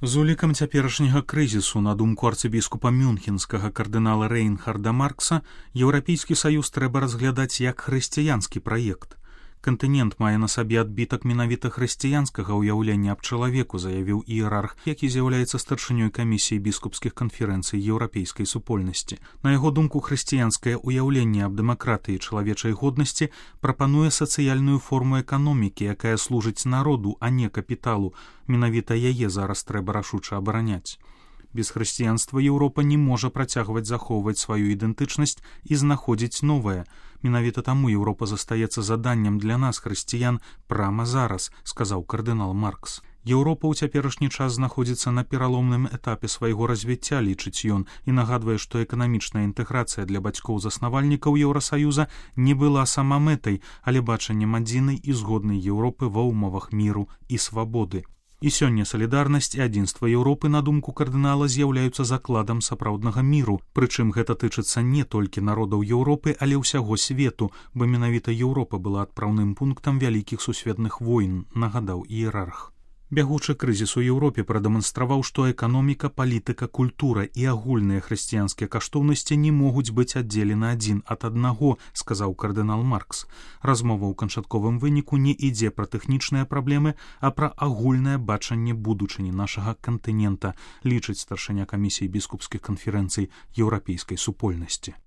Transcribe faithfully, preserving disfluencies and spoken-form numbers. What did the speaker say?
З улікам цяперашняга крызісу, на думку арцыбіскупа мюнхенскага кардынала Рейнхарда Маркса, Еўрапейскі саюз трэба разглядаць як хрысціянскі праект. Кантынент мае на сабе адбітак менавіта хрысціянскага ўяўлення аб чалавеку, заявіў іерарх, які з'яўляецца старшынёй камісіі біскупскіх канферэнцый еўрапейскай супольнасці. На яго думку, хрысціянскае ўяўленне аб дэмакратыі чалавечай годнасці прапануе сацыяльную форму эканомікі, якая служыць народу, а не капіталу. Менавіта яе зараз трэба рашуча абараняць. Без хрысціянства Еўропа не можа працягваць захоўваць сваю ідэнтычнасць і знаходзіць новае. Менавіта таму Еўропа застаецца заданнем для нас, хрысціян, прама зараз, сказаў кардынал Маркс. Еўропа ў цяперашні час знаходзіцца на пераломным этапе свайго развіцця, лічыць ён, і нагадвае, што эканамічная інтэграцыя для бацькоў-заснавальнікаў Еўрасаюза не была сама мэтай, але бачаннем адзінай і згоднай Еўропы ва ўмовах міру і свабоды. І сёння салідарнасць і адзінства Еўропы, на думку кардынала, з'яўляюцца закладам сапраўднага міру, прычым гэта тычыцца не толькі народаў Еўропы, але ўсяго свету, бо менавіта Еўропа была адпраўным пунктам вялікіх сусветных войн, нагадаў іерарх. Бягучы крызіс у Еўропе прадэманстраваў, што эканоміка, палітыка, культура і агульныя хрысціянскія каштоўнасці не могуць быць аддзелены адзін ад аднаго, сказаў кардынал Маркс. Размова ў канчатковым выніку не ідзе пра тэхнічныя праблемы, а пра агульнае бачанне будучыні нашага кантынента, лічыць старшыня камісіі біскупскіх канферэнцый еўрапейскай супольнасці.